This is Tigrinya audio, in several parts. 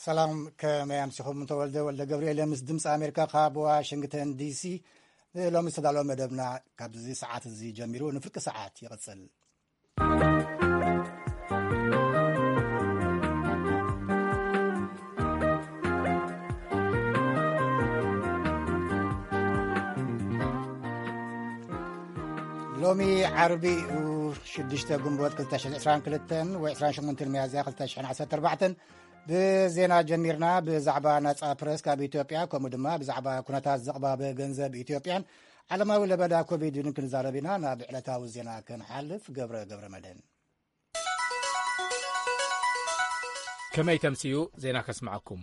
ሰላም፣ ከመይ ኣምሲኹም? ተወልደ ወልደ ገብርኤል ምስ ድምፂ ኣሜሪካ ካብ ዋሽንግተን ዲሲ። ንሎሚ ዝተዳለወ መደብና ካብዚ ሰዓት እዚ ጀሚሩ ንፍርቂ ሰዓት ይቕፅል። ሎሚ ዓርቢ እዩ፣ ሽዱሽተ ግንቦት ክልተ ሽሕን ዕስራን ክልተን ወይ ዕስራን ሸሞንተን ሚያዝያ ክልተ ሽሕን ዓሰርተ ኣርባዕተን። ብዜና ጀሚርና። ብዛዕባ ናጻ ፕረስ ካብ ኢትዮጵያ፣ ከምኡ ድማ ብዛዕባ ኩነታት ዘቕባበ ገንዘብ ኢትዮጵያን ዓለማዊ ለበዳ ኮቪድን ክንዛረብ ኢና። ናብ ዕለታዊ ዜና ክንሓልፍ፣ ገብረ ገብረ መድህን። ከመይ ተምስዩ ዜና ከስምዓኩም።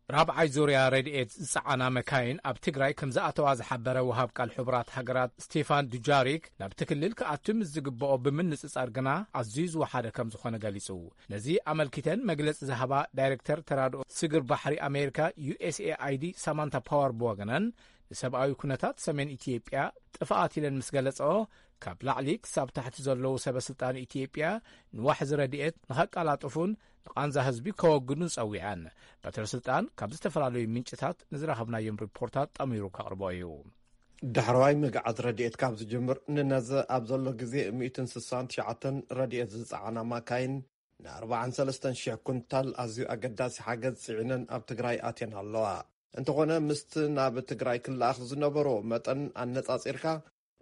ራብዓይ ዙርያ ረድኤት ዝጸዓና መካይን ኣብ ትግራይ ከም ዝኣተዋ ዝሓበረ ወሃብ ቃል ሕቡራት ሃገራት ስቴፋን ዱጃሪክ፣ ናብቲ ክልል ክኣቱ ምስ ዝግብኦ ብምንጽጻር ግና ኣዝዩ ዝወሓደ ከም ዝኾነ ገሊጹ። ነዚ ኣመልኪተን መግለጺ ዝሃባ ዳይሬክተር ተራድኦ ስግር ባሕሪ ኣሜሪካ ዩ ኤስ ኤ ኣይ ዲ ሳማንታ ፓወር ብወገነን፣ ንሰብኣዊ ኩነታት ሰሜን ኢትዮጵያ ጥፍኣት ኢለን ምስ ገለጸኦ፣ ካብ ላዕሊ ክሳብ ታሕቲ ዘለዉ ሰበ ስልጣን ኢትዮጵያ ንዋሕዚ ረድኤት ንኸቀላጥፉን ንቓንዛ ህዝቢ ከወግዱን ጸዊዐን። በትረ ስልጣን ካብ ዝተፈላለዩ ምንጭታት ንዝረኸብናዮም ሪፖርታት ጠሚሩ ከቕርቦ እዩ። ዳሕረዋይ ምግዓዝ ረድኤት ካብ ዝጅምር ንነዘ ኣብ ዘሎ ግዜ ሚእትን ስሳን ትሽዓተን ረድኤት ዝጸዓና ማካይን ንኣርባዓን ሰለስተን ሽሕ ኩንታል ኣዝዩ ኣገዳሲ ሓገዝ ጽዒነን ኣብ ትግራይ ኣትየን ኣለዋ። እንተኾነ ምስቲ ናብ ትግራይ ክለኣኽ ዝነበሮ መጠን ኣነጻጺርካ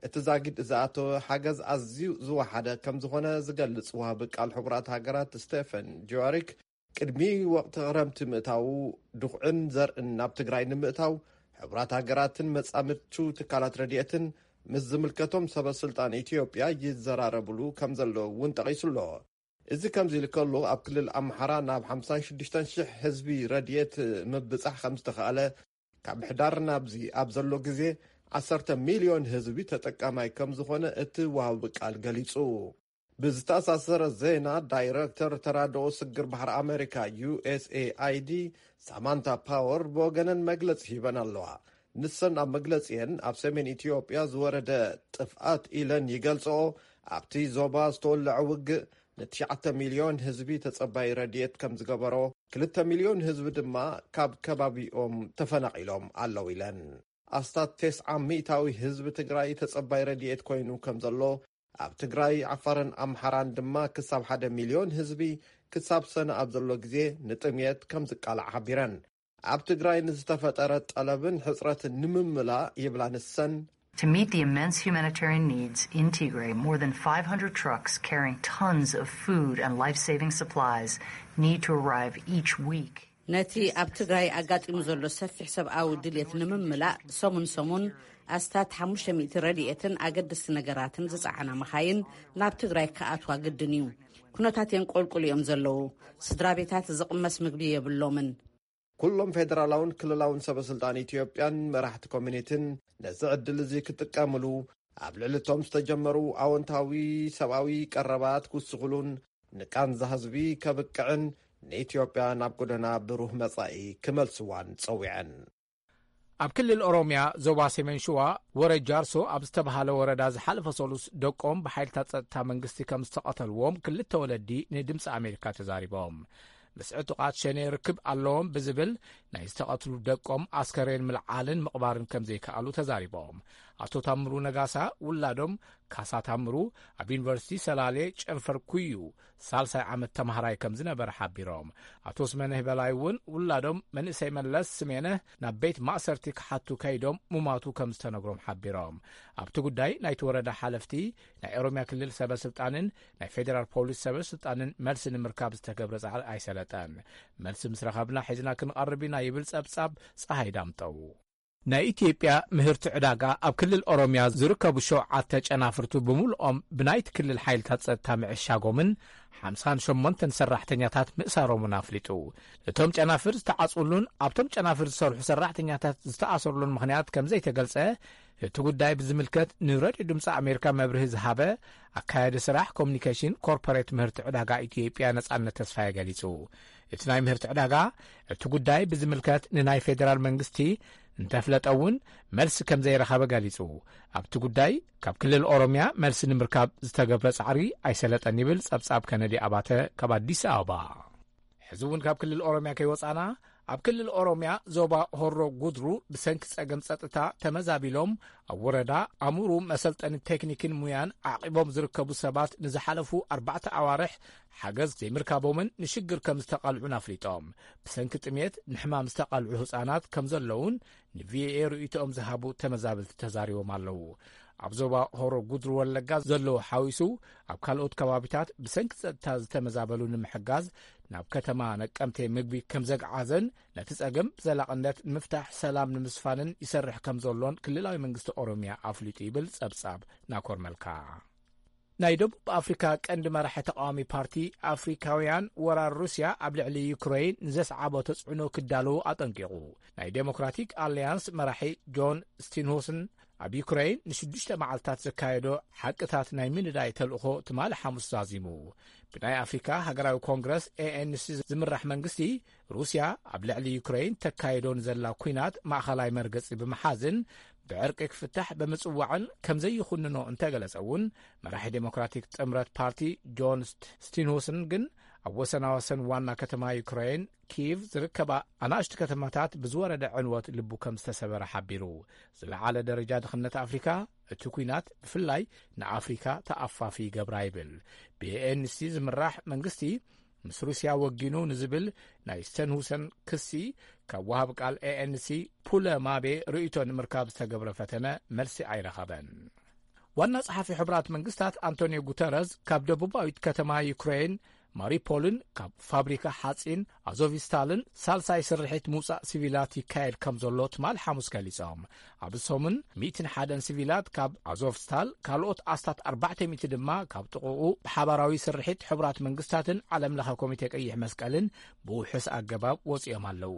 እቲ ዛጊድ ዝኣተወ ሓገዝ ኣዝዩ ዝወሓደ ከም ዝኾነ ዝገልጽ ወሃቢ ቃል ሕቡራት ሃገራት ስቴፈን ጁዋሪክ፣ ቅድሚ ወቕቲ ክረምቲ ምእታዉ ድኹዕን ዘርእን ናብ ትግራይ ንምእታው ሕቡራት ሃገራትን መጻምድቱ ትካላት ረድኤትን ምስ ዝምልከቶም ሰበ ስልጣን ኢትዮጵያ ይዘራረብሉ ከም ዘለዉ እውን ጠቒሱ ኣሎ። እዚ ከምዚ ኢሉ ከሎ ኣብ ክልል ኣምሓራ ናብ ሓምሳን ሽዱሽተን ሽሕ ህዝቢ ረድኤት ምብጻሕ ከም ዝተኻእለ፣ ካብ ምሕዳር ናብዚ ኣብ ዘሎ ግዜ ዓሰርተ ሚልዮን ህዝቢ ተጠቃማይ ከም ዝኾነ እቲ ወሃቢ ቃል ገሊጹ። ብዝተኣሳሰረ ዜና ዳይረክተር ተራድኦ ስግር ባሕሪ ኣሜሪካ ዩ ኤስ ኤ ኣይ ዲ ሳማንታ ፓወር ብወገነን መግለጺ ሂበን ኣለዋ። ንሰን ኣብ መግለጺአን ኣብ ሰሜን ኢትዮጵያ ዝወረደ ጥፍኣት ኢለን ይገልጽኦ ኣብቲ ዞባ ዝተወለዐ ውግእ ንትሽዓተ ሚልዮን ህዝቢ ተጸባይ ረድኤት ከም ዝገበሮ፣ ክልተ ሚልዮን ህዝቢ ድማ ካብ ከባቢኦም ተፈናቒሎም ኣለዉ ኢለን። ኣስታት ተስዓ ሚእታዊ ህዝቢ ትግራይ ተጸባይ ረድኤት ኮይኑ ከም ዘሎ፣ ኣብ ትግራይ፣ ዓፋርን ኣምሓራን ድማ ክሳብ ሓደ ሚልዮን ህዝቢ ክሳብ ሰነ ኣብ ዘሎ ግዜ ንጥምየት ከም ዝቃላዕ ሓቢረን። ኣብ ትግራይ ንዝተፈጠረ ጠለብን ሕጽረትን ንምምላእ ይብላ ንሰን። To meet the immense humanitarian needs in Tigray, more than five hundred trucks carrying tons of food and life-saving supplies need to arrive each week. ነቲ ኣብ ትግራይ ኣጋጢሙ ዘሎ ሰፊሕ ሰብኣዊ ድልየት ንምምላእ፣ ሰሙን ሰሙን ኣስታት ሓሙሽተ ሚእቲ ረድኤትን ኣገደስቲ ነገራትን ዝጸዓና መኻይን ናብ ትግራይ ክኣትዋ ግድን እዩ። ኩነታት የንቆልቁል እዮም ዘለዉ። ስድራ ቤታት ዝቕመስ ምግቢ የብሎምን። ኩሎም ፌደራላውን ክልላውን ሰበ ስልጣን ኢትዮጵያን መራሕቲ ኮሚኒቲን ነዚ ዕድል እዚ ክጥቀምሉ፣ ኣብ ልዕሊ እቶም ዝተጀመሩ ኣወንታዊ ሰብኣዊ ቀረባት ክውስኹሉን ንቃንዛ ህዝቢ ከብቅዕን ንኢትዮጵያ ናብ ጎደና ብሩህ መጻኢ ክመልስዋን ጸዊዐን። ኣብ ክልል ኦሮምያ ዞባ ሰሜን ሽዋ ወረ ጃርሶ ኣብ ዝተባሃለ ወረዳ ዝሓለፈ ሰሉስ ደቆም ብሓይልታት ጸጥታ መንግስቲ ከም ዝተቐተልዎም ክልተ ወለዲ ንድምፂ ኣሜሪካ ተዛሪቦም። ምስ ዕጡቓት ሸኔ ርክብ ኣለዎም ብዝብል ናይ ዝተቐትሉ ደቆም ኣስከሬን ምልዓልን ምቕባርን ከም ዘይከኣሉ ተዛሪቦም። ኣቶ ታምሩ ነጋሳ ውላዶም ካሳ ታምሩ ኣብ ዩኒቨርሲቲ ሰላሌ ጨንፈር ኩዩ ሳልሳይ ዓመት ተማሃራይ ከም ዝነበረ ሓቢሮም። ኣቶ ስመነህ በላይ እውን ውላዶም መንእሰይ መለስ ስሜነህ ናብ ቤት ማእሰርቲ ክሓቱ ከይዶም ሙማቱ ከም ዝተነግሮም ሓቢሮም። ኣብቲ ጉዳይ ናይቲ ወረዳ ሓለፍቲ፣ ናይ ኦሮምያ ክልል ሰበ ስልጣንን ናይ ፌዴራል ፖሊስ ሰበ ስልጣንን መልሲ ንምርካብ ዝተገብረ ጻዕሪ ኣይሰለጠን። መልሲ ምስ ረኸብና ሒዝና ክንቐርብ ኢና ይብል ጸብጻብ ጸሃይ ዳምጠው። ናይ ኢትዮጵያ ምህርቲ ዕዳጋ ኣብ ክልል ኦሮምያ ዝርከቡ ሸውዓተ ጨናፍርቱ ብምልኦም ብናይቲ ክልል ሓይልታት ጸጥታ ምዕሻጎምን ሓምሳን ሸሞንተን ሰራሕተኛታት ምእሳሮምን ኣፍሊጡ። እቶም ጨናፍር ዝተዓጽውሉን ኣብቶም ጨናፍር ዝሰርሑ ሰራሕተኛታት ዝተኣሰርሉን ምኽንያት ከም ዘይተገልጸ እቲ ጉዳይ ብዝምልከት ንረድዮ ድምፂ ኣሜሪካ መብርሂ ዝሃበ ኣካያዲ ስራሕ ኮሙኒኬሽን ኮርፖሬት ምህርቲ ዕዳጋ ኢትዮጵያ ነጻነት ተስፋየ ገሊጹ። እቲ ናይ ምህርቲ ዕዳጋ እቲ ጉዳይ ብዝምልከት ንናይ ፌዴራል መንግስቲ እንተፍለጠ እውን መልሲ ከም ዘይረኸበ ገሊጹ። ኣብቲ ጉዳይ ካብ ክልል ኦሮምያ መልሲ ንምርካብ ዝተገብረ ጻዕሪ ኣይሰለጠን ይብል ጸብጻብ ከነዲ ኣባተ ካብ ኣዲስ ኣበባ። እዚ እውን ካብ ክልል ኦሮምያ ከይወጻና፣ ኣብ ክልል ኦሮምያ ዞባ ሆሮ ጉድሩ ብሰንኪ ጸገም ጸጥታ ተመዛቢሎም ኣብ ወረዳ ኣሙሩ መሰልጠኒ ቴክኒክን ሙያን ዓቒቦም ዝርከቡ ሰባት ንዝሓለፉ ኣርባዕተ ኣዋርሕ ሓገዝ ዘይምርካቦምን ንሽግር ከም ዝተቓልዑን ኣፍሊጦም። ብሰንኪ ጥሜት ንሕማም ዝተቓልዑ ህጻናት ከም ዘለውን ንቪኦኤ ርእይቶኦም ዝሃቡ ተመዛበልቲ ተዛሪቦም ኣለዉ። ኣብ ዞባ ሆሮ ጉድሩ ወለጋ ዘለዉ ሓዊሱ ኣብ ካልኦት ከባቢታት ብሰንኪ ጸጥታ ዝተመዛበሉ ንምሕጋዝ ናብ ከተማ ነቀምቴ ምግቢ ከም ዘግዓዘን ነቲ ጸገም ብዘላቕነት ንምፍታሕ ሰላም ንምስፋንን ይሰርሕ ከም ዘሎን ክልላዊ መንግስቲ ኦሮምያ ኣፍሊጡ ይብል ጸብጻብ ናኮር መልካ። ናይ ደቡብ ኣፍሪካ ቀንዲ መራሒ ተቃዋሚ ፓርቲ ኣፍሪካውያን ወራር ሩስያ ኣብ ልዕሊ ዩክሬን ንዘስዓቦ ተጽዕኖ ክዳለዉ ኣጠንቂቑ። ናይ ዴሞክራቲክ ኣሊያንስ መራሒ ጆን ስቲንሁስን ኣብ ዩክሬን ንሽዱሽተ መዓልታት ዘካየዶ ሓቅታት ናይ ምንዳይ ተልእኾ ትማሊ ሓሙስ ዛዚሙ። ብናይ ኣፍሪካ ሃገራዊ ኮንግረስ ኤኤንሲ ዝምራሕ መንግስቲ ሩስያ ኣብ ልዕሊ ዩክሬን ተካይዶ ንዘላ ኲናት ማእኸላይ መርገጺ ብምሓዝን ብዕርቂ ክፍታሕ ብምጽዋዕን ከም ዘይኹንኖ እንተገለጸ እውን፣ መራሒ ዴሞክራቲክ ጥምረት ፓርቲ ጆን ስቲንሁስን ግን ኣብ ወሰናወሰን ዋና ከተማ ዩክሬን ኪቭ ዝርከባ ኣናእሽቱ ከተማታት ብዝወረደ ዕንወት ልቡ ከም ዝተሰበረ ሓቢሩ። ዝለዓለ ደረጃ ድኽነት ኣፍሪካ እቲ ኲናት ብፍላይ ንኣፍሪካ ተኣፋፊ ይገብራ ይብል። ብኤንሲ ዝምራሕ መንግስቲ ምስ ሩስያ ወጊኑ ንዝብል ናይ ስተንሁሰን ክሲ ካብ ወሃብ ቃል ኤኤንሲ ፑለ ማቤ ርእይቶ ንምርካብ ዝተገብረ ፈተነ መልሲ ኣይረኸበን። ዋና ጸሓፊ ሕቡራት መንግስታት ኣንቶኒዮ ጉተረዝ ካብ ደቡባዊት ከተማ ዩክሬን ማሪፖልን ካብ ፋብሪካ ሓጺን ኣዞቪስታልን ሳልሳይ ስርሒት ምውጻእ ሲቪላት ይካየድ ከም ዘሎ ትማል ሓሙስ ገሊጾም። ኣብ ሰሙን ሚእትን ሓደን ሲቪላት ካብ ኣዞቭስታል፣ ካልኦት ኣስታት ኣርባዕተ ሚእቲ ድማ ካብ ጥቕኡ ብሓባራዊ ስርሒት ሕቡራት መንግስታትን ዓለም ለኸ ኮሚቴ ቀይሕ መስቀልን ብውሑስ ኣገባብ ወጺኦም ኣለዉ።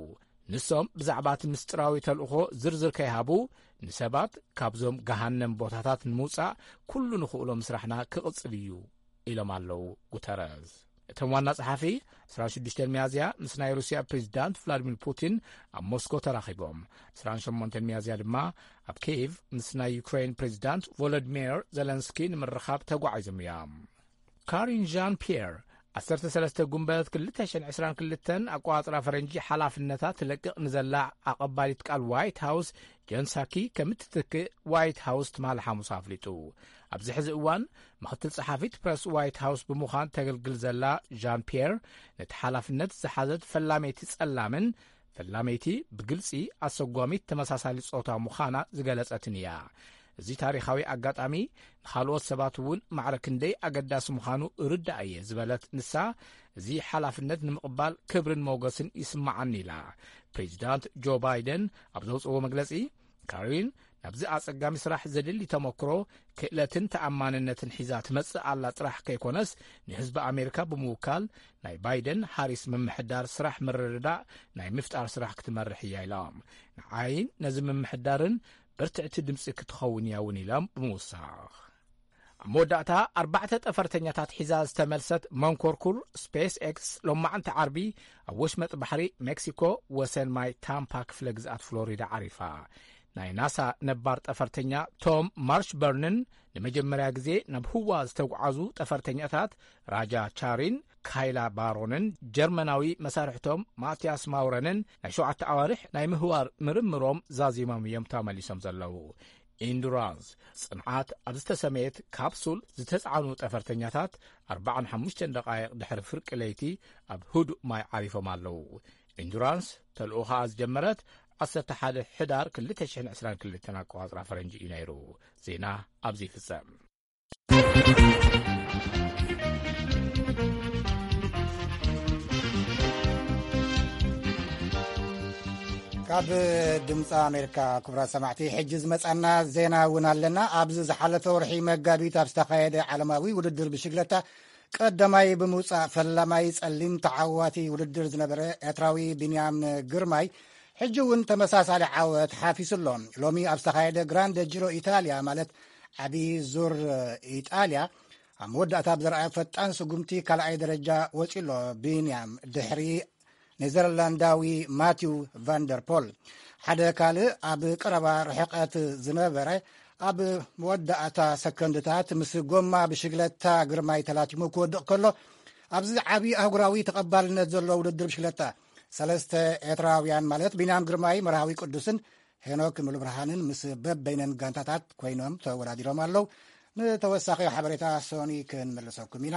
ንሶም ብዛዕባ እቲ ምስጢራዊ ተልእኾ ዝርዝር ከይሃቡ፣ ንሰባት ካብዞም ገሃነም ቦታታት ንምውጻእ ኩሉ ንኽእሎ ምስራሕና ክቕጽል እዩ ኢሎም ኣለዉ ጉተረዝ። እቶም ዋና ጸሓፊ ዕስራን ሽዱሽተን ሚያዝያ ምስ ናይ ሩስያ ፕሬዚዳንት ቭላዲሚር ፑቲን ኣብ ሞስኮ ተራኺቦም። ዕስራን ሸሞንተን ሚያዝያ ድማ ኣብ ኪየቭ ምስ ናይ ዩክሬን ፕሬዚዳንት ቮሎዲሚር ዘለንስኪ ንምርኻብ ተጓዒዞም እዮም። ካሪን ዣን ፒየር ዓሰርተ ሰለስተ ጉንበት ክልተ ሽሕን ዕስራን ክልተን ኣቆጻጽራ ፈረንጂ ሓላፍነታ ትለቅቕ ንዘላ ኣቐባሊት ቃል ዋይት ሃውስ ጀን ሳኪ ከም እትትክእ ዋይት ሃውስ ትማሊ ሓሙስ ኣፍሊጡ። ኣብዚ ሕዚ እዋን ምኽትል ጸሓፊት ፕረስ ዋይት ሃውስ ብምዃን ተገልግል ዘላ ዣን ፒየር ነቲ ሓላፍነት ዝሓዘት ፈላመይቲ ጸላምን ፈላመይቲ ብግልጺ ኣሰጓሚት ተመሳሳሊ ጾታ ምዃና ዝገለጸትን እያ። እዚ ታሪኻዊ ኣጋጣሚ ንኻልኦት ሰባት እውን ማዕረ ክንደይ ኣገዳሲ ምዃኑ እርዳእ እየ ዝበለት ንሳ፣ እዚ ሓላፍነት ንምቕባል ክብርን ሞገስን ይስምዓኒ ኢላ። ፕሬዚዳንት ጆ ባይደን ኣብ ዘውፅዎ መግለፂ፣ ካሪን ናብዚ ኣጸጋሚ ስራሕ ዘድሊ ተመክሮ፣ ክእለትን ተኣማንነትን ሒዛ ትመጽእ ኣላ ጥራሕ ከይኮነስ፣ ንህዝቢ ኣሜሪካ ብምውካል ናይ ባይደን ሃሪስ ምምሕዳር ስራሕ ምርድዳእ ናይ ምፍጣር ስራሕ ክትመርሕ እያ ኢሎም። ንዓይን ነዚ ምምሕዳርን ብርትዕቲ ድምፂ ክትኸውን እያ እውን ኢሎም ብምውሳኽ። ኣብ መወዳእታ ኣርባዕተ ጠፈርተኛታት ሒዛ ዝተመልሰት መንኮርኩር ስፔስ ኤክስ ሎማዕንቲ ዓርቢ ኣብ ወሽመጥ ባሕሪ ሜክሲኮ ወሰን ማይ ታምፓ ክፍለ ግዝኣት ፍሎሪዳ ዓሪፋ። ናይ ናሳ ነባር ጠፈርተኛ ቶም ማርሽበርንን ንመጀመርያ ግዜ ናብ ህዋ ዝተጓዓዙ ጠፈርተኛታት ራጃ ቻሪን ካይላ ባሮንን ጀርመናዊ መሳርሕቶም ማቲያስ ማውረንን ናይ ሸውዓተ ኣዋርሕ ናይ ምህዋር ምርምሮም ዛዚሞም እዮም ተመሊሶም ዘለዉ። ኢንዱራንስ ጽንዓት ኣብ ዝተሰመየት ካፕሱል ዝተጻዕኑ ጠፈርተኛታት ኣርባዓን ሓሙሽተን ደቓይቕ ድሕሪ ፍርቂ ለይቲ ኣብ ህዱእ ማይ ዓሪፎም ኣለዉ። ኢንዱራንስ ተልእኾኣ ዝጀመረት ዓሰርተ ሓደ ሕዳር ክልተ ሽሕን ዕስራን ክልተን ኣቆጻጽራ ፈረንጂ እዩ ነይሩ። ዜና ኣብዚ ይፍጸም። ካብ ድምፂ ኣሜሪካ፣ ክቡራት ሰማዕቲ፣ ሕጂ ዝመፃና ዜና እውን ኣለና። ኣብዚ ዝሓለፈ ወርሒ መጋቢት ኣብ ዝተኻየደ ዓለማዊ ውድድር ብሽግለታ ቀዳማይ ብምውፃእ ፈላማይ ፀሊም ተዓዋቲ ውድድር ዝነበረ ኤርትራዊ ቢንያም ግርማይ ሕጂ እውን ተመሳሳሊ ዓወት ሓፊሱ ኣሎ። ሎሚ ኣብ ዝተኻየደ ግራንድ ጂሮ ኢጣልያ፣ ማለት ዓብዪ ዙር ኢጣልያ፣ ኣብ መወዳእታ ብዘርኣዮ ፈጣን ስጉምቲ ካልኣይ ደረጃ ወፂኡ ኣሎ ቢንያም፣ ድሕሪ ኔዘርላንዳዊ ማቲው ቫንደርፖል። ሓደ ካልእ ኣብ ቀረባ ርሕቀት ዝነበረ፣ ኣብ መወዳእታ ሰከንድታት ምስ ጎማ ብሽግለታ ግርማይ ተላቲሙ ክወድቕ ከሎ፣ ኣብዚ ዓቢ ኣህጉራዊ ተቐባልነት ዘለዎ ውድድር ብሽክለታ፣ ሰለስተ ኤርትራውያን ማለት ቢንያም ግርማይ፣ መርሃዊ ቅዱስን ሄኖክ ምሉብርሃንን ምስ በበይነን ጋንታታት ኮይኖም ተወዳዲሮም ኣለዉ። ንተወሳኺ ሓበሬታ ሶኒ ክንምልሰኩም ኢና።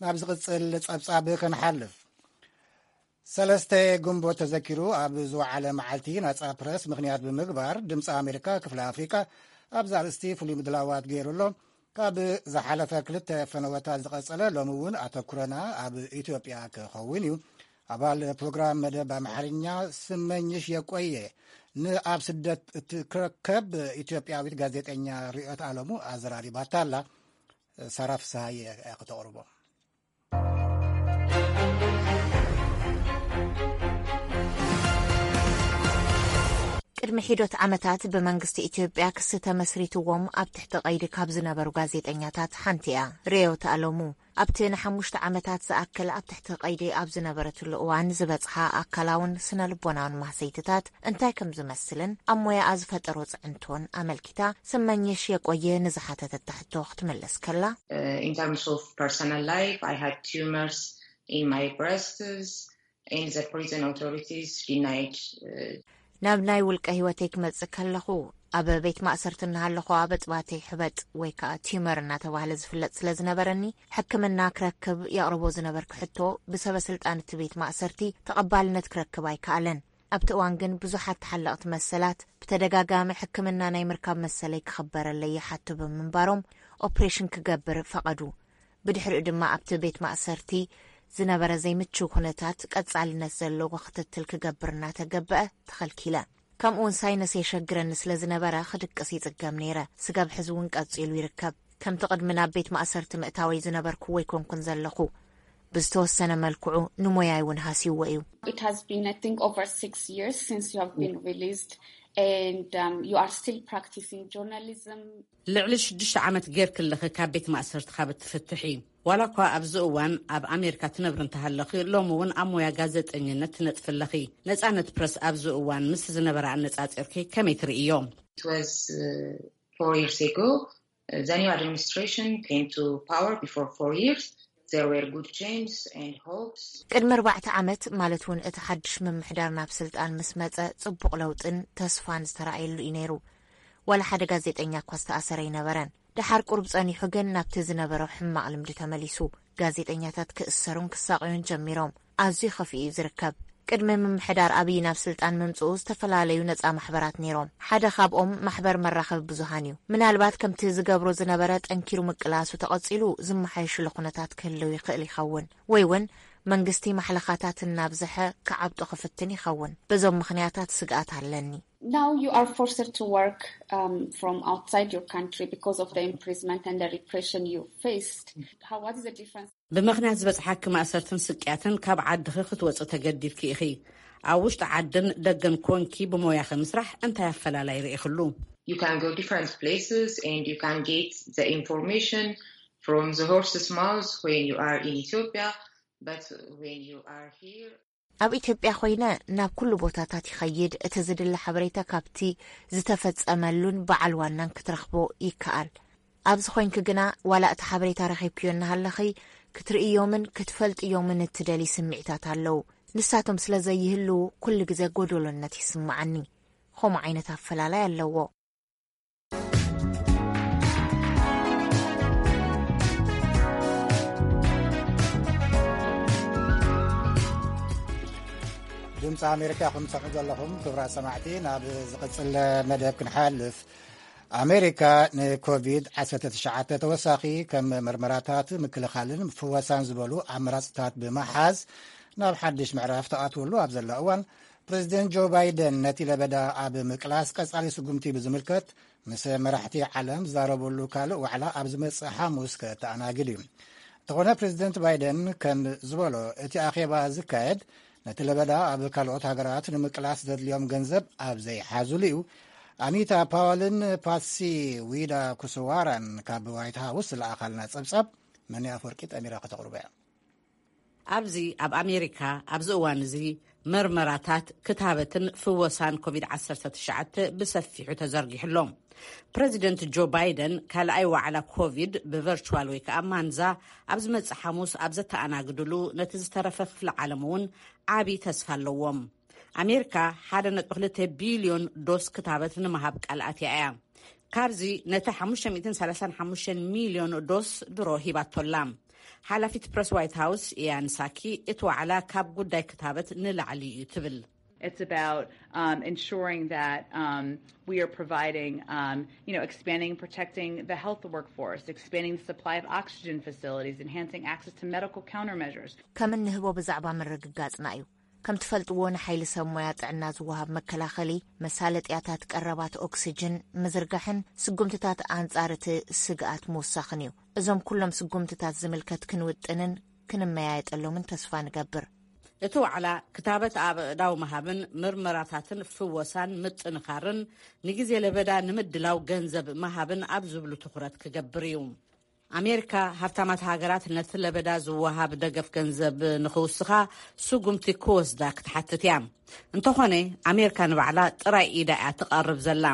ናብ ዝቕጽል ጸብጻብ ክንሓልፍ፣ ሰለስተ ግንቦት ተዘኪሩ ኣብ ዝወዓለ መዓልቲ ናጻ ፕረስ ምኽንያት ብምግባር፣ ድምፂ ኣሜሪካ ክፍለ ኣፍሪቃ ኣብዚ ኣርእስቲ ፍሉይ ምድላዋት ገይሩ ኣሎ። ካብ ዝሓለፈ ክልተ ፈነወታት ዝቐጸለ፣ ሎሚ እውን ኣተኩረና ኣብ ኢትዮጵያ ክኸውን እዩ። ኣባል ፕሮግራም መደብ ኣምሓርኛ ስመኝሽ የቆየ ንኣብ ስደት እትርከብ ኢትዮጵያዊት ጋዜጠኛ ርዕዮት ኣለሙ ኣዘራሪባታ ኣላ። ሳራ ፍስሃየ እያ ከተቕርቦ። ቅድሚ ሒዶት ዓመታት ብመንግስቲ ኢትዮጵያ ክሲ ተመስሪትዎም ኣብ ትሕቲ ቀይዲ ካብ ዝነበሩ ጋዜጠኛታት ሓንቲ እያ ርዕዮት ኣለሙ። ኣብቲ ንሓሙሽተ ዓመታት ዝኣክል ኣብ ትሕቲ ቀይዲ ኣብ ዝነበረትሉ እዋን ዝበጽሓ ኣካላውን ስነ ልቦናውን ማህሰይትታት እንታይ ከም ዝመስልን ኣብ ሞያኣ ዝፈጠሮ ጽዕንቶን ኣመልኪታ ስመኝሽ የቆየ ንዝሓተተታ ሕቶ ክትምልስ ከላ፣ Uh, in terms of personal life, I had tumors in my breasts, and the prison authorities denied. Uh, ናብ ናይ ውልቀ ህይወተይ ክመጽእ ከለኹ፣ ኣብ ቤት ማእሰርቲ እናሃለኹ ኣብ ኣጽባተይ ሕበጥ ወይ ከዓ ቲመር እናተባህለ ዝፍለጥ ስለ ዝነበረኒ፣ ሕክምና ክረክብ የቕርቦ ዝነበርኩ ሕቶ ብሰበ ስልጣን እቲ ቤት ማእሰርቲ ተቐባልነት ክረክብ ኣይከኣለን። ኣብቲ እዋን ግን ብዙሓት ተሓለቕቲ መሰላት ብተደጋጋሚ ሕክምና ናይ ምርካብ መሰለይ ክኽበረለይ ይሓቱ ብምንባሮም ኦፕሬሽን ክገብር ፈቐዱ። ብድሕሪኡ ድማ ኣብቲ ቤት ማእሰርቲ ዝነበረ ዘይምችው ኩነታት ቀጻልነት ዘለዎ ክትትል ክገብር እናተገበአ ተኸልኪለ። ከምኡውን ሳይነስ የሸግረኒ ስለ ዝነበረ ክድቅስ ይጽገም ነይረ። ስጋብ ሕዚ እውን ቀጺሉ ይርከብ። ከምቲ ቅድሚ ናብ ቤት ማእሰርቲ ምእታወይ ዝነበርኩ ወይ ኮንኩን ዘለኹ። ብዝተወሰነ መልክዑ ንሞያይ እውን ሃስይዎ እዩ። It has been, I think, over six years since you have been released, and um, you are still practicing journalism. ልዕሊ ሽዱሽተ ዓመት ጌርኪ ኣለኺ ካብ ቤት ማእሰርቲ ካብ እትፍትሒ። ዋላ እኳ ኣብዚ እዋን ኣብ ኣሜሪካ ትነብሪ እንተሃለኺ፣ ሎሚ እውን ኣብ ሞያ ጋዜጠኝነት ትነጥፊ ኣለኺ። ነጻነት ፕረስ ኣብዚ እዋን ምስ ዝነበረ ኣነጻጺርኪ ከመይ ትርእዮ? It was uh, four years ago. Uh, the new administration came to power before four years. There were good changes and hopes. ቅድሚ ኣርባዕተ ዓመት፣ ማለት እውን እቲ ሓድሽ ምምሕዳር ናብ ስልጣን ምስ መጸ፣ ጽቡቕ ለውጥን ተስፋን ዝተራእየሉ እዩ ነይሩ። ዋላ ሓደ ጋዜጠኛ እኳ ዝተኣሰረ ኣይነበረን። ደሓር ቁሩብ ጸኒሑ ግን ናብቲ ዝነበሮ ሕማቕ ልምዲ ተመሊሱ። ጋዜጠኛታት ክእሰሩን ክሳቐዩን ጀሚሮም። ኣዝዩ ከፊኡ እዩ ዝርከብ። ቅድሚ ምምሕዳር ኣብይ ናብ ስልጣን ምምጽኡ ዝተፈላለዩ ነጻ ማሕበራት ነይሮም። ሓደ ካብኦም ማሕበር መራኸቢ ብዙሃን እዩ። ምናልባት ከምቲ ዝገብሮ ዝነበረ ጠንኪሩ ምቅላሱ ተቐጺሉ ዝመሓየሽሉ ኩነታት ክህልው ይኽእል ይኸውን። ወይ እውን መንግስቲ ማሕለኻታት እናብዝሐ ክዓብጦ ክፍትን ይኸውን። በዞም ምኽንያታት ስግኣት ኣለኒ። Now you are forced to work um, from outside your country because of the imprisonment and the repression you faced. How, what is the difference? ብምኽንያት ዝበጽሓኪ ማእሰርትን ስቅያትን ካብ ዓድኺ ክትወጺ ተገዲድኪ ኢኺ። ኣብ ውሽጢ ዓድን ደገን ኮንኪ ብሞያኺ ምስራሕ እንታይ ኣፈላላይ ርኢኽሉ? You can go different places and you can get the information from the horse's mouth when you are in Ethiopia, but when you are here, ኣብ ኢትዮጵያ ኮይነ ናብ ኩሉ ቦታታት ይኸይድ። እቲ ዝድለ ሓበሬታ ካብቲ ዝተፈጸመሉን በዓል ዋናን ክትረኽቦ ይከኣል። ኣብዚ ኮይንኪ ግና ዋላ እቲ ሓበሬታ ረኺብክዮ እናሃለኺ ክትርእዮምን ክትፈልጥዮምን እትደሊ ስምዒታት ኣለዉ። ንሳቶም ስለ ዘይህልዉ ኩሉ ግዜ ጎደሎነት ይስምዓኒ። ከምኡ ዓይነት ኣፈላላይ ኣለዎ። ድምፂ ኣሜሪካ ኢኹም ትሰምዑ ዘለኹም። ክቡራት ሰማዕቲ፣ ናብ ዝቕፅል መደብ ክንሓልፍ፣ ኣሜሪካ ንኮቪድ ዓሰርተ ትሽዓተ ተወሳኺ ከም መርመራታት፣ ምክልኻልን ፍወሳን ዝበሉ ኣማራፅታት ብምሓዝ ናብ ሓድሽ ምዕራፍ ተኣትወሉ ኣብ ዘላ እዋን፣ ፕሬዚደንት ጆ ባይደን ነቲ ለበዳ ኣብ ምቅላስ ቀፃሊ ስጉምቲ ብዝምልከት ምስ መራሕቲ ዓለም ዝዛረበሉ ካልእ ዋዕላ ኣብ ዝመፅእ ሓሙስ ከተኣናግድ እዩ። እንተኾነ፣ ፕሬዚደንት ባይደን ከም ዝበሎ፣ እቲ ኣኼባ ዝካየድ ነቲ ለበዳ ኣብ ካልኦት ሃገራት ንምቅላስ ዘድልዮም ገንዘብ ኣብ ዘይሓዙሉ እዩ። ኣኒታ ፓወልን ፓትሲ ዊዳ ኩስዋራን ካብ ዋይት ሃውስ ዝለኣኻልና ጸብጻብ መኒ ኣፈወርቂ ጠሚራ ከተቕርቦ እያ። ኣብዚ ኣብ ኣሜሪካ ኣብዚ እዋን እዚ መርመራታት፣ ክታበትን ፍወሳን ኮቪድ ዓሰርተ ትሽዓተ ብሰፊሑ ተዘርጊሑ ኣሎ። ፕረዚደንት ጆ ባይደን ካልኣይ ዋዕላ ኮቪድ ብቨርቹዋል ወይ ከዓ ማንዛ ኣብ ዝመጽእ ሓሙስ ኣብ ዘተኣናግድሉ፣ ነቲ ዝተረፈ ክፍለ ዓለም እውን ዓቢ ተስፋ ኣለዎም። ኣሜሪካ ሓደ ነጥቢ ክልተ ቢልዮን ዶስ ክታበት ንምሃብ ቃል ኣትያ እያ። ካብዚ ነቲ ሓሙሽተ ሚእትን ሰላሳን ሓሙሽተን ሚልዮን ዶስ ድሮ ሂባቶላ። ሓላፊት ፕረስ ዋይት ሃውስ ኢያን ሳኪ፣ እቲ ዋዕላ ካብ ጉዳይ ክታበት ንላዕሊ እዩ ትብል። It's about um, ensuring that um, we are providing, um, you know, expanding and protecting the health workforce, expanding the supply of oxygen facilities, enhancing access to medical countermeasures. ከም እንህቦ ብዛዕባ ምርግጋጽና እዩ። ከም ትፈልጥዎ፣ ንሓይሊ ሰብ ሞያ ጥዕና ዝወሃብ መከላኸሊ፣ መሳለጥያታት ቀረባት ኦክስጅን ምዝርጋሕን ስጉምትታት ኣንጻር እቲ ስግኣት ምውሳኽን እዩ። እዞም ኩሎም ስጉምትታት ዝምልከት ክንውጥንን ክንመያየጠሎምን ተስፋ ንገብር። እቲ ዋዕላ ክታበት ኣብ ኣእዳው ምሃብን ምርመራታትን ፍወሳን ምጥንኻርን ንግዜ ለበዳ ንምድላው ገንዘብ ምሃብን ኣብ ዝብሉ ትኹረት ክገብር እዩ። ኣሜሪካ ሃብታማት ሃገራት ነቲ ለበዳ ዝወሃብ ደገፍ ገንዘብ ንኽውስኻ ስጉምቲ ክወስዳ ክትሓትት እያ። እንተኾነ ኣሜሪካ ንባዕላ ጥራይ ኢዳ እያ ትቐርብ ዘላ።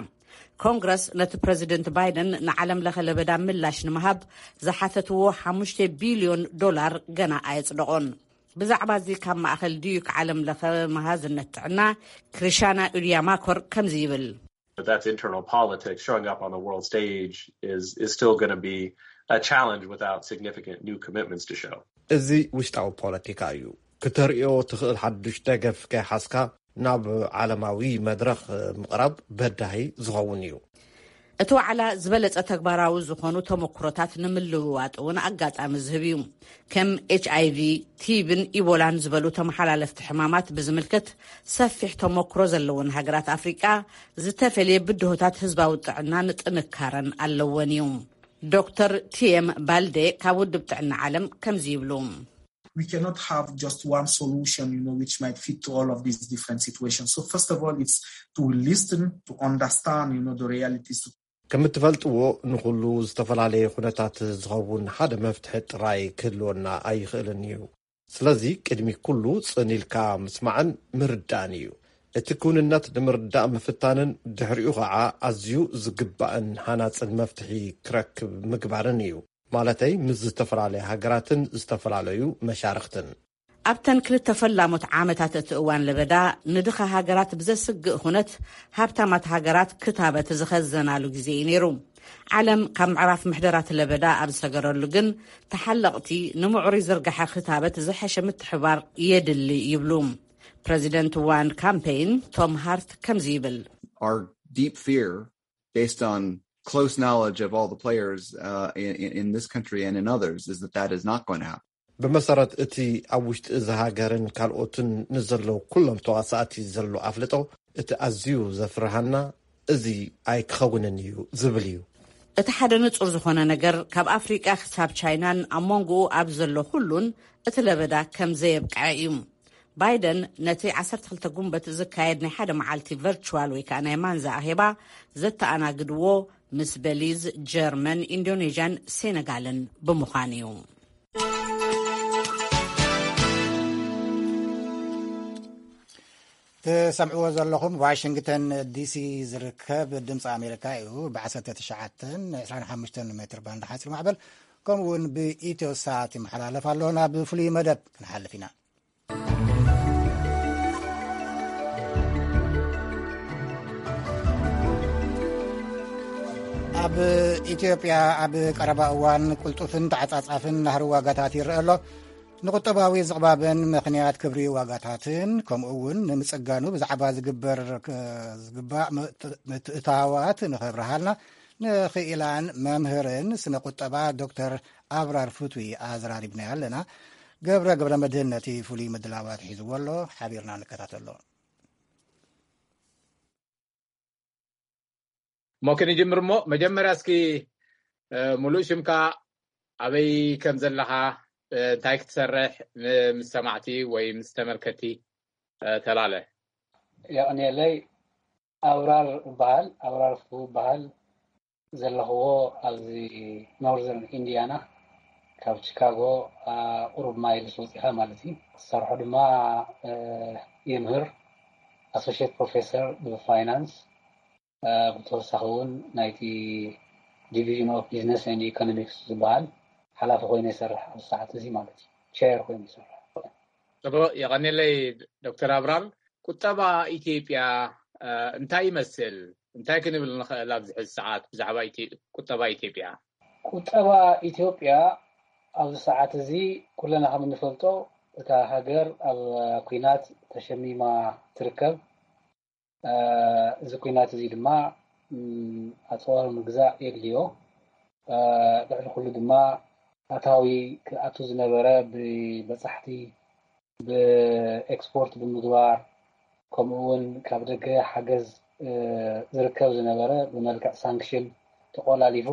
ኮንግረስ ነቲ ፕረዚደንት ባይደን ንዓለም ለኸ ለበዳ ምላሽ ንምሃብ ዝሓተትዎ ሓሙሽተ ቢልዮን ዶላር ገና ኣየጽደቖን። ብዛዕባ እዚ ካብ ማእኸል ዲዩክ ዓለም ለኸ መሃዝነት ጥዕና ክሪሻና ኡድያማኮር ከምዚ ይብል። But that's internal politics. Showing up on the world stage is, is still going to be a challenge without significant new commitments to show. እዚ ውሽጣዊ ፖለቲካ እዩ። ክተርእዮ ትኽእል ሓዱሽ ደገፍ ከይሓዝካ ናብ ዓለማዊ መድረኽ ምቕራብ በዳሂ ዝኸውን እዩ። እቲ ዋዕላ ዝበለጸ ተግባራዊ ዝኾኑ ተመክሮታት ንምልውዋጥ እውን ኣጋጣሚ ዝህብ እዩ። ከም ኤች ኣይ ቪ፣ ቲብን ኢቦላን ዝበሉ ተመሓላለፍቲ ሕማማት ብዝምልከት ሰፊሕ ተመክሮ ዘለወን ሃገራት ኣፍሪቃ ዝተፈልየ ብድሆታት ህዝባዊ ጥዕናን ጥንካረን ኣለወን እዩ። ዶክተር ቲኤም ባልዴ ካብ ውድብ ጥዕና ዓለም ከምዚ ይብሉ። We cannot have just one solution, you know, which might fit to all of these different situations. So first of all, it's to listen, to understand, you know, the realities. ከም እትፈልጥዎ፣ ንኹሉ ዝተፈላለየ ኩነታት ዝኸውን ሓደ መፍትሒ ጥራይ ክህልወና ኣይኽእልን እዩ። ስለዚ ቅድሚ ኩሉ ጽን ኢልካ ምስማዕን ምርዳእን እዩ። እቲ ክውንነት ንምርዳእ ምፍታንን ድሕሪኡ ኸዓ ኣዝዩ ዝግባእን ሃናጽን መፍትሒ ክረክብ ምግባርን እዩ። ማለተይ ምስ ዝተፈላለያ ሃገራትን ዝተፈላለዩ መሻርኽትን። ኣብተን ክልተ ፈላሞት ዓመታት እቲ እዋን ለበዳ ንድኻ ሃገራት ብዘስግእ ኩነት ሃብታማት ሃገራት ክታበት ዝኸዘናሉ ግዜ እዩ ነይሩ። ዓለም ካብ ምዕራፍ ምሕደራት ለበዳ ኣብ ዝሰገረሉ ግን ተሓለቕቲ ንምዕሩይ ዝርጋሐ ክታበት ዝሐሸ ምትሕባር የድሊ ይብሉ። ፕረዚደንት ዋን ካምፔይን ቶም ሃርት ከምዚ ይብል። Our deep fear, based on close knowledge of all the players uh, in, in this country and in others, is that that is not going to happen. ብመሰረት እቲ ኣብ ውሽጢ እዚ ሃገርን ካልኦትን ንዘለዉ ኩሎም ተዋሳእቲ ዘሎ ኣፍልጦ፣ እቲ ኣዝዩ ዘፍርሃና እዚ ኣይክኸውንን እዩ ዝብል እዩ። እቲ ሓደ ንጹር ዝኾነ ነገር፣ ካብ ኣፍሪቃ ክሳብ ቻይናን ኣብ መንጎኡ ኣብ ዘሎ ኩሉን እቲ ለበዳ ከም ዘየብቅዐ እዩ። ባይደን ነቲ ዓሰርተ ክልተ ጉንበት ዝካየድ ናይ ሓደ መዓልቲ ቨርቹዋል ወይ ከዓ ናይ ማንዛ ኣኼባ ዘተኣናግድዎ ምስ በሊዝ፣ ጀርመን፣ ኢንዶኔዥያን ሴነጋልን ብምዃን እዩ። ትሰምዕዎ ዘለኹም ዋሽንግተን ዲሲ ዝርከብ ድምፂ ኣሜሪካ እዩ። ብ19 25 ሜትር ባንድ ሓፂር ማዕበል ከምኡ እውን ብኢትዮ ሳት ይመሓላለፍ ኣሎ። ናብ ፍሉይ መደብ ክንሓልፍ ኢና። ኣብ ኢትዮጵያ ኣብ ቀረባ እዋን ቅልጡፍን ተዓጻጻፍን ናህሪ ዋጋታት ይረአ ኣሎ። ንቁጠባዊ ዝቕባብን ምኽንያት ክብሪ ዋጋታትን ከምኡ እውን ንምጽጋኑ ብዛዕባ ዝግበር ዝግባእ ምትእታዋት ንኸብርሃልና ንኽኢላን መምህርን ስነ ቁጠባ ዶክተር ኣብራር ፍትዊ ኣዘራሪብናዮ ኣለና። ገብረ ገብረ መድህን ነቲ ፍሉይ ምድላዋት ሒዝዎ ኣሎ። ሓቢርና ንከታተሎ። እሞ ክንጅምር እሞ መጀመርያ እስኪ ሙሉእ ሽምካ ኣበይ ከም ዘለኻ እንታይ ክትሰርሕ ምስ ሰማዕቲ ወይ ምስ ተመልከቲ ተላለ። የቕንየለይ። ኣብራር እበሃል ኣብራር ፍትው እበሃል። ዘለኽዎ ኣብዚ ኖርዘርን ኢንዲያና ካብ ቺካጎ ቁሩብ ማይልስ ወፂኻ ማለት እዩ። ዝሰርሖ ድማ የምህር፣ ኣሶሽት ፕሮፌሰር ብፋይናንስ፣ ብተወሳኺ እውን ናይቲ ዲቪዥን ኦፍ ቢዝነስ ኤንድ ኢኮኖሚክስ ዝበሃል ሓላፊ ኮይኑ ይሰርሕ ኣብ ሰዓት እዚ ማለት እዩ። ቸር ኮይኑ ይሰርሕ። ጽቡቅ፣ የቐኔለይ ዶክተር ኣብራር። ቁጠባ ኢትዮጵያ እንታይ ይመስል? እንታይ ክንብል ንኽእል ኣብዚ ሕዚ ሰዓት ብዛዕባ ቁጠባ ኢትዮጵያ? ቁጠባ ኢትዮጵያ ኣብዚ ሰዓት እዚ ኩለና ከም እንፈልጦ እታ ሃገር ኣብ ኲናት ተሸሚማ ትርከብ። እዚ ኲናት እዚ ድማ ኣፅዋር ምግዛእ የድልዮ። ልዕሊ ኩሉ ድማ ኣታዊ ክኣቱ ዝነበረ ብበፃሕቲ ብኤክስፖርት ብምግባር፣ ከምኡ እውን ካብ ደገ ሓገዝ ዝርከብ ዝነበረ ብመልክዕ ሳንክሽን ተቆላሊፉ፣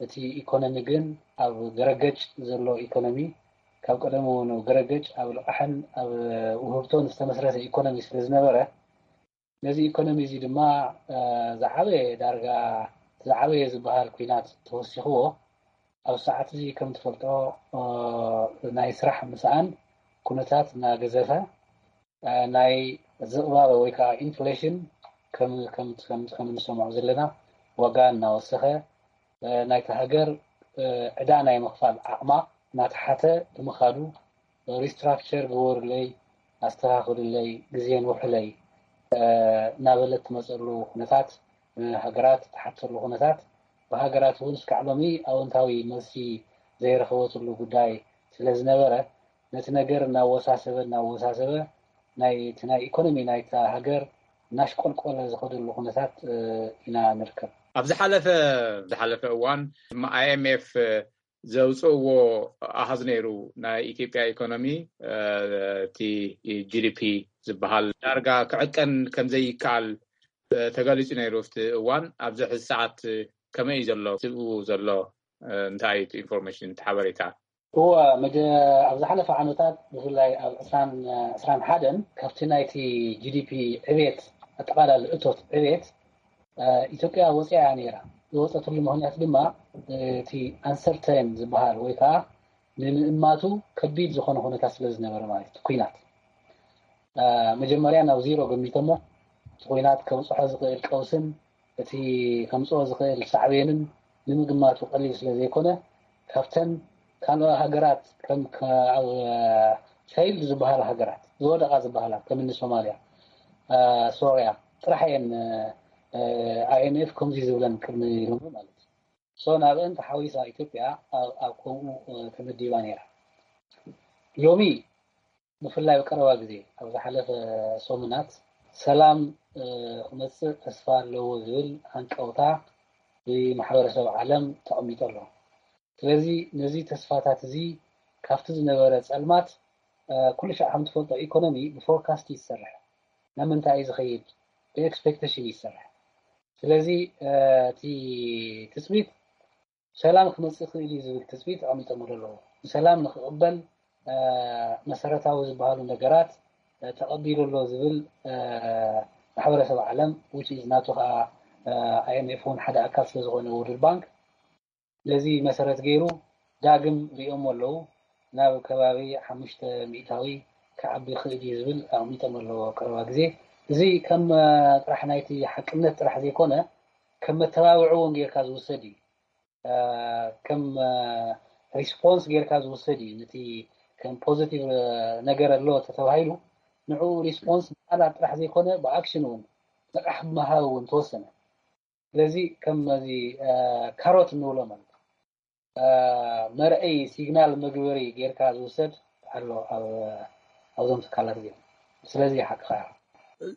እቲ ኢኮኖሚ ግን ኣብ ገረገጭ ዘሎ ኢኮኖሚ፣ ካብ ቀደሙ ገረገጭ ኣብ ልቓሕን ኣብ ውህብቶን ዝተመስረተ ኢኮኖሚ ስለ ዝነበረ፣ ነዚ ኢኮኖሚ እዚ ድማ ዝዓበየ፣ ዳርጋ ዝዓበየ ዝበሃል ኲናት ተወሲኽዎ። ኣብ ሰዓት እዚ ከም ትፈልጦ ናይ ስራሕ ምስኣን ኩነታት እናገዘፈ፣ ናይ ዝቕባበ ወይ ከዓ ኢንፍሌሽን ከም እንሰምዖ ዘለና ዋጋ እናወሰኸ፣ ናይቲ ሃገር ዕዳ ናይ ምኽፋል ዓቕማ እናተሓተ ብምኻዱ፣ ሪስትራክቸር ግበሩለይ፣ ኣስተኻኽሉለይ፣ ግዜን ውሕለይ እናበለት ትመፀሉ ኩነታት፣ ሃገራት ትሓተሉ ኩነታት፣ ብሃገራት እውን እስካዕ ሎሚ ኣወንታዊ መልሲ ዘይረኸበትሉ ጉዳይ ስለ ዝነበረ፣ ነቲ ነገር እናወሳሰበ እናወሳሰበ ናይቲ ናይ ኢኮኖሚ ናይታ ሃገር እናሽቆልቆለ ዝኸደሉ ኩነታት ኢና ንርከብ። ኣብ ዝሓለፈ ዝሓለፈ እዋን ድማ ኣይኤምኤፍ ዘውፅእዎ ኣሃዝ ነይሩ። ናይ ኢትዮጵያ ኢኮኖሚ እቲ ጂዲፒ ዝበሃል ዳርጋ ክዕቀን ከምዘይከኣል ተገሊፁ ነይሩ። ኣብቲ እዋን ኣብዚ ሕዚ ሰዓት ከመይ እዩ ዘሎ? ዝብኡ ዘሎ እንታይ እዩ ኢንፎርሜሽን፣ እቲ ሓበሬታ? እወ፣ ኣብ ዝሓለፈ ዓመታት ብፍላይ ኣብ ዕስራን ዕስራን ሓደን ካብቲ ናይቲ ጂዲፒ ዕቤት፣ ኣጠቓላሊ እቶት ዕቤት ኢትዮጵያ ወፂኣ እያ ነይራ። ዝወፀትሉ ምክንያት ድማ እቲ ኣንሰርተን ዝበሃል ወይ ከዓ ንምእማቱ ከቢድ ዝኾነ ኩነታት ስለ ዝነበረ ማለት እዩ። ኩናት መጀመርያ ናብ ዚሮ ገሚቶሞ፣ እቲ ኩናት ከብፅሖ ዝኽእል ቀውስን እቲ ከምፅኦ ዝኽእል ሳዕቤንን ንምግማቱ ቀሊል ስለ ዘይኮነ፣ ካብተን ካልኦ ሃገራት ከም ኣብ ፌይልድ ዝበሃላ ሃገራት፣ ዝወደቓ ዝበሃላ ከም እኒ ሶማልያ፣ ሶርያ ጥራሕ እየን ኣይኤምኤፍ ከምዚ ዝብለን ቅድሚ ሎሚ ማለት እዩ። ሶ ናብአን ተሓዊሳ ኢትዮጵያ ኣብ ከምኡ ተመዲባ ነይራ። ሎሚ ብፍላይ ኣብ ቀረባ ግዜ ኣብ ዝሓለፈ ሰሙናት ሰላም ክመፅእ ተስፋ ኣለዎ ዝብል ሃንቀውታ ብማሕበረሰብ ዓለም ተቐሚጡ ኣሎ። ስለዚ ነዚ ተስፋታት እዚ ካብቲ ዝነበረ ፀልማት ኩሉ ሻዕ ከም ትፈልጦ ኢኮኖሚ ብፎርካስት ይሰርሕ። ናብ ምንታይ እዩ ዝኸይድ? ብኤክስፔክቴሽን ይሰርሕ። ስለዚ እቲ ትፅቢት ሰላም ክመፅእ ክእል እዩ ዝብል ትፅቢት ተቐሚጦምሉ ኣለዉ። ንሰላም ንክቕበል መሰረታዊ ዝበሃሉ ነገራት ተቐቢሉ ኣሎ ዝብል ማሕበረሰብ ዓለም፣ which is ናቱ ከዓ ኣይኤምኤፍ እውን ሓደ ኣካል ስለዝኾነ፣ ወርልድ ባንክ ነዚ መሰረት ገይሩ ዳግም ሪኦሞ ኣለዉ። ናብ ከባቢ ሓሙሽተ ሚእታዊ ክዓቢ ክእል እዩ ዝብል ኣቕሚጦም ኣለዎ ቀረባ ግዜ። እዚ ከም ጥራሕ ናይቲ ሓቅነት ጥራሕ ዘይኮነ፣ ከም መተባብዒ እውን ጌርካ ዝውሰድ እዩ። ከም ሪስፖንስ ጌርካ ዝውሰድ እዩ። ነቲ ከም ፖዚቲቭ ነገር ኣሎ ተተባሂሉ፣ ንዕኡ ሪስፖንስ ብቃላት ጥራሕ ዘይኮነ ብኣክሽን እውን ንቃሕ ብምሃብ እውን ተወሰነ። ስለዚ ከም እዚ ካሮት እንብሎ ማለት እዩ። መርአይ ሲግናል መግበሪ ጌርካ ዝውሰድ ኣሎ ኣብዞም ትካላት እዚኦም። ስለዚ ሓቅኻ ኢኻ።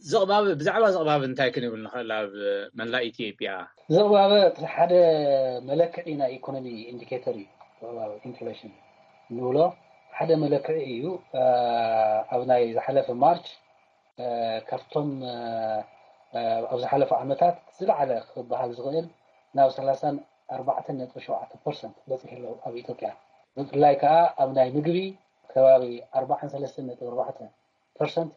ዝቕባበ ብዛዕባ ዝቕባበ እንታይ ክንብል ንኽእል? ኣብ መላእ ኢትዮጵያ ዝቕባበ ሓደ መለክዒ ናይ ኢኮኖሚ ኢንዲኬተር እዩ። ዝቕባበ ኢንፍሌሽን እንብሎ ሓደ መለክዒ እዩ። ኣብ ናይ ዝሓለፈ ማርች ካብቶም ኣብ ዝሓለፉ ዓመታት ዝለዓለ ክበሃል ዝኽእል ናብ ሰላሳን ኣርባዕተን ነጥቢ ሸውዓተ ፐርሰንት በፂሑ ኣሎ ኣብ ኢትዮጵያ። ብፍላይ ከዓ ኣብ ናይ ምግቢ ከባቢ ኣርባዓን ሰለስተን ነጥቢ ኣርባዕተ ፐርሰንት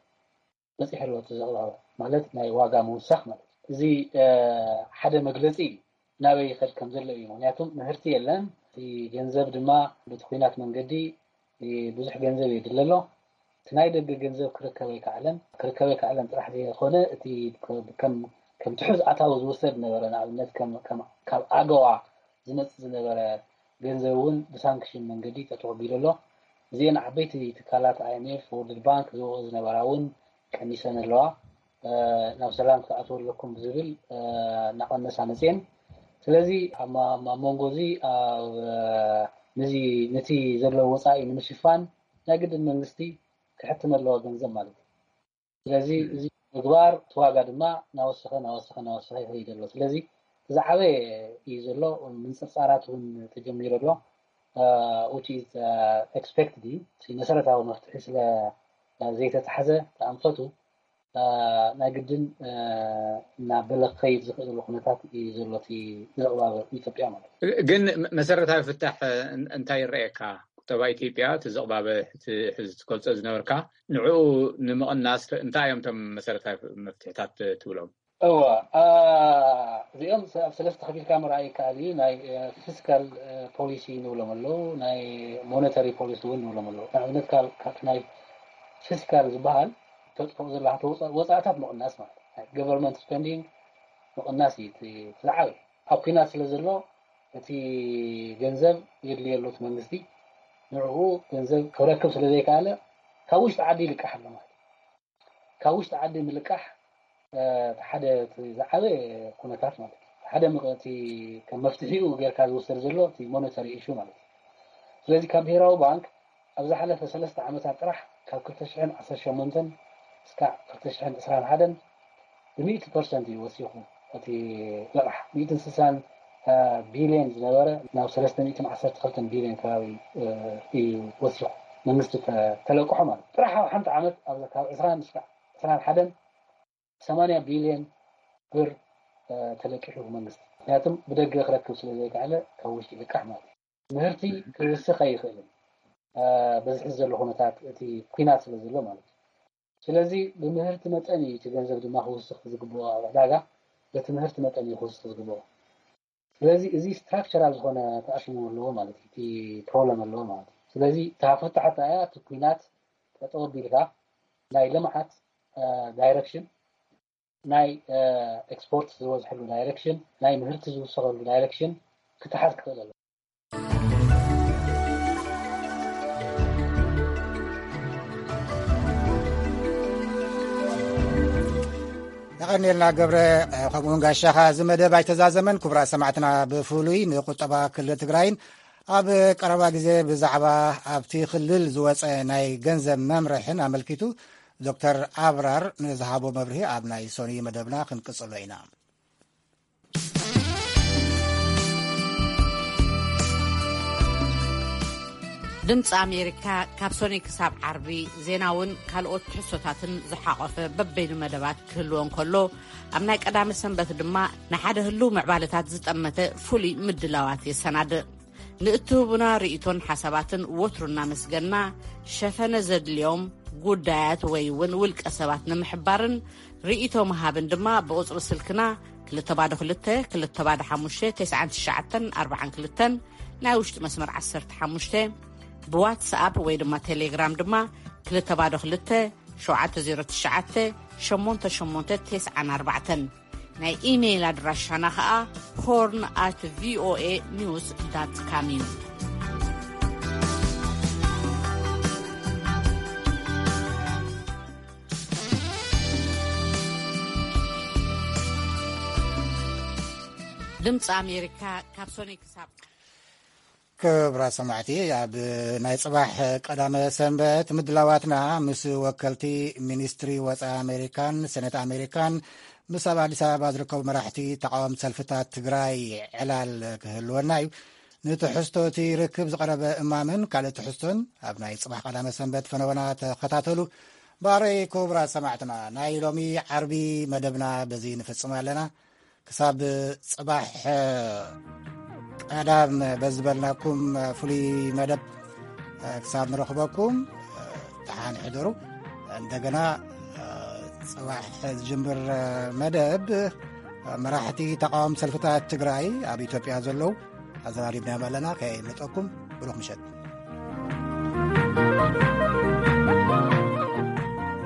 በፂሑ ኣሎ። እቲ ዘቕባበ ማለት ናይ ዋጋ ምውሳኽ ማለት እዩ። እዚ ሓደ መግለፂ እዩ ናበይ ይኸድ ከም ዘሎ እዩ። ምክንያቱም ምህርቲ የለን፣ እቲ ገንዘብ ድማ በቲ ኲናት መንገዲ ብዙሕ ገንዘብ የድሊ ኣሎ። እቲ ናይ ደገ ገንዘብ ክርከብ ኣይከኣለን። ክርከብ ኣይከኣለን ጥራሕ ዘይኮነ፣ እቲ ከም ከም ትሑዝ ኣታዊ ዝውሰድ ነበረ፣ ንኣብነት ከም ከም ካብ ኣገዋ ዝመጽእ ዝነበረ ገንዘብ እውን ብሳንክሽን መንገዲ ጠጠው ኣቢሉ ኣሎ። እዚአን ዓበይቲ ትካላት፣ ኣይኤምኤፍ፣ ወርልድ ባንክ ዝወ ዝነበራ እውን ቀኒሰን ኣለዋ። ናብ ሰላም ክትኣትዉ ኣለኩም ብዝብል እናቐነሳ መፅየን። ስለዚ ኣብ መንጎ እዚ ነቲ ዘለዎ ወፃኢ ንምሽፋን ናይ ግድን መንግስቲ ክሕትም ኣለዎ ገንዘብ ማለት እዩ። ስለዚ እዚ ምግባር እቲ ዋጋ ድማ ናወሰኸ ናወሰኸ ናወሰኸ ይኸይድ ኣሎ። ስለዚ ዝዓበየ እዩ ዘሎ። ምንፅርፃራት እውን ተጀሚሩ ኣሎ። Which is expected እዩ። መሰረታዊ መፍትሒ ስለ ዘይተታሕዘ ተኣንፈቱ ናይ ግድን እናበለ ክኸይድ ዝኽእለሉ ኩነታት እዩ ዘሎ እቲ ምዕባለ ኢትዮጵያ ማለት እዩ። ግን መሰረታዊ ፍታሕ እንታይ ይረኣየካ? ቁጠባ ኢትዮጵያ እቲ ዝቕባበ ሕዚ ትገልጾ ዝነበርካ ንዕኡ ንምቕናስ እንታይ እዮም እቶም መሰረታዊ መፍትሕታት ትብሎም? እዋ እዚኦም ኣብ ሰለስተ ከፊልካ ምርኣይ ይከኣል እዩ። ናይ ፊስካል ፖሊሲ ንብሎም ኣለዉ፣ ናይ ሞኔታሪ ፖሊሲ እውን ንብሎም ኣለዉ። ንኣብነት ካብ ናይ ፊስካል ዝበሃል ተጥፍኦ ዘለካ ወፃእታት ምቕናስ ማለት እዩ። ገቨርንመንት ስፐንዲንግ ምቕናስ እዩ ዝዓበ። ኣብ ኩናት ስለ ዘሎ እቲ ገንዘብ የድልየ ኣሎ እቲ መንግስቲ፣ ንዕኡ ገንዘብ ክረክብ ስለ ዘይከኣለ ካብ ውሽጢ ዓዲ ይልቃሕ ኣሎ ማለት እዩ። ካብ ውሽጢ ዓዲ ምልቃሕ ሓደ ዝዓበ ኩነታት ማለት እዩ። ሓደ እቲ ከም መፍትሒኡ ጌርካ ዝውሰድ ዘሎ እቲ ሞኔታሪ ኢሹ ማለት እዩ። ስለዚ ካብ ብሄራዊ ባንክ ኣብ ዝሓለፈ ሰለስተ ዓመታት ጥራሕ ካብ ክልተ ሽሕን ዓሰርተ ሸሞንተን እስካዕ ክልተ ሽሕን ዕስራን ሓደን ብሚእቲ ፐርሰንት እዩ ወሲኹ። እቲ ልቓሕ ሚእትን ስሳን ቢልዮን ዝነበረ ናብ ሰለስተ ሚእትን ዓሰርተ ክልተን ቢልዮን ከባቢ እዩ ወሲኹ። መንግስቲ ተለቅሖ ማለት ጥራሕ ኣብ ሓንቲ ዓመት ካብ ዕስራን እስካዕ ዕስራን ሓደን ሰማንያ ቢልዮን ብር ተለቂሑ መንግስቲ። ምክንያቱም ብደገ ክረክብ ስለ ዘይከኣለ ካብ ውሽጢ ይልቃሕ ማለት እዩ። ምህርቲ ክውስኽ ኣይኽእልን። በዚ ሕዚ ዘሎ ኩነታት እቲ ኩናት ስለ ዘሎ ማለት እዩ። ስለዚ ብምህርቲ መጠን እዩ እቲ ገንዘብ ድማ ክውስኽ ዝግብኦ ኣብ ዕዳጋ በቲ ምህርቲ መጠን እዩ ክውስኽ ዝግብኦ። ስለዚ እዚ ስትራክቸራል ዝኾነ ተኣሽሞ ኣለዎ ማለት እዩ። እቲ ፕሮብለም ኣለዎ ማለት እዩ። ስለዚ እታ ፍታሕ እያ እቲ ኩናት ጠጠው ኣቢልካ ናይ ልምዓት ዳይረክሽን ናይ ኤክስፖርት ዝበዝሐሉ ዳይሬክሽን ናይ ምህርቲ ዝውሰኸሉ ዳይሬክሽን ክተሓዝ ክኽእል ኣለዎ። የቐኒልና ገብረ። ከምኡውን ጋሻኻ እዚ መደብ ኣይተዛዘመን። ክቡራት ሰማዕትና ብፍሉይ ንቁጠባ ክልል ትግራይን ኣብ ቀረባ ግዜ ብዛዕባ ኣብቲ ክልል ዝወፀ ናይ ገንዘብ መምርሕን ኣመልኪቱ ዶክተር ኣብራር ንዝሃቦ መብርሂ ኣብ ናይ ሰኑይ መደብና ክንቅፅሎ ኢና። ድምፂ ኣሜሪካ ካብ ሰኑይ ክሳብ ዓርቢ ዜናውን ካልኦት ትሕዝቶታትን ዝሓቆፈ በበይኑ መደባት ክህልዎ እንከሎ ኣብ ናይ ቀዳመ ሰንበት ድማ ንሓደ ህልው ምዕባለታት ዝጠመተ ፍሉይ ምድላዋት የሰናድእ። ንእትህቡና ርእይቶን ሓሳባትን ወትሩ እናመስገና ሸፈነ ዘድልዮም ጉዳያት ወይ እውን ውልቀ ሰባት ንምሕባርን ርእይቶ ምሃብን ድማ ብቁፅሪ ስልክና ክልተ ባዶ ክልተ ክልተ ባዶ ሓሙሽተ ተስዓን ትሽዓተን ኣርባዓን ክልተን ናይ ውሽጢ መስመር ዓሰርተ ሓሙሽተ ብዋትስኣፕ ወይ ድማ ቴሌግራም ድማ ክልተ ባዶ ክልተ ሸውዓተ ዜሮ ትሽዓተ ሸሞንተ ሸሞንተ ተስዓን ኣርባዕተን ናይ ኢሜይል ኣድራሻና ኸኣ ሆርን ኣት ቪኦኤ ኒውስ ዳት ካም እዩ። ድምፂ ኣሜሪካ ካብ ሶኒ ክሳብ ክብራት ሰማዕቲ ኣብ ናይ ፅባሕ ቀዳመ ሰንበት ምድላዋትና ምስ ወከልቲ ሚኒስትሪ ወፃኢ ኣሜሪካን ሴኔት ኣሜሪካን ምስ ኣብ ኣዲስ ኣበባ ዝርከቡ መራሕቲ ተቃወምቲ ሰልፍታት ትግራይ ዕላል ክህልወና እዩ። ንትሕዝቶ እቲ ርክብ ዝቐረበ እማምን ካልእ ትሕዝቶን ኣብ ናይ ፅባሕ ቀዳመ ሰንበት ፈነወና ተኸታተሉ። ባረይ ክቡራት ሰማዕትና ናይ ሎሚ ዓርቢ መደብና በዚ ንፍፅም ኣለና። ክሳብ ፅባሕ ቀዳም በዝበልናኩም ፍሉይ መደብ ክሳብ ንረኽበኩም ደሓን ሕደሩ። እንደገና ፅባሕ ዝጅምር መደብ መራሕቲ ተቃወም ሰልፍታት ትግራይ ኣብ ኢትዮጵያ ዘለዉ ኣዘራሪብናዮም ኣለና። ከየምልጠኩም፣ ብሩኽ ምሸት።